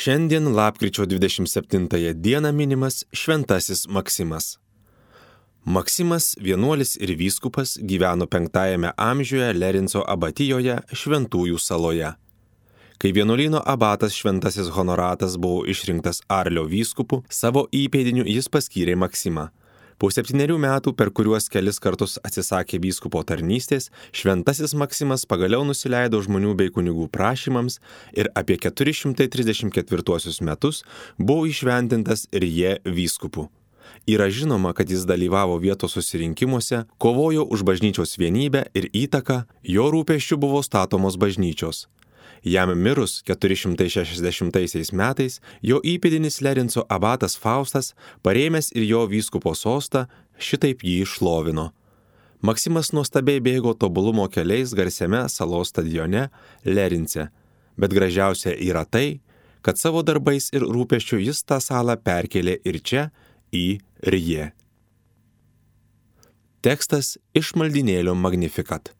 Šiandien lapkričio 27 dieną minimas Šventasis Maksimas. Maksimas, vienuolis ir vyskupas, gyveno 5 amžiuje Lerinco abatijoje Šventųjų saloje. Kai vienuolyno abatas Šventasis Honoratas buvo išrinktas Arlio vyskupu, savo įpėdiniu jis paskyrė Maksimą. Po 7 metų, per kuriuos kelis kartus atsisakė vyskupo tarnystės, Šventasis Maksimas pagaliau nusileido žmonių bei kunigų prašymams ir apie 434 metus buvo įšventintas Rije vyskupu. Yra žinoma, kad jis dalyvavo vietos susirinkimuose, kovojo už bažnyčios vienybę ir įtaką, jo rūpesčiu buvo statomos bažnyčios. Jam mirus 460 metais, jo įpėdinis Lerinco abatas Faustas, parėmęs ir jo vyskupo sostą, šitaip jį šlovino. Maksimas nuostabiai bėgo tobulumo keliais garsiame salos stadione Lerince, bet gražiausia yra tai, kad savo darbais ir rūpesčiu jis tą salą perkėlė ir čia, į Rije. Tekstas iš maldynėlio Magnificat.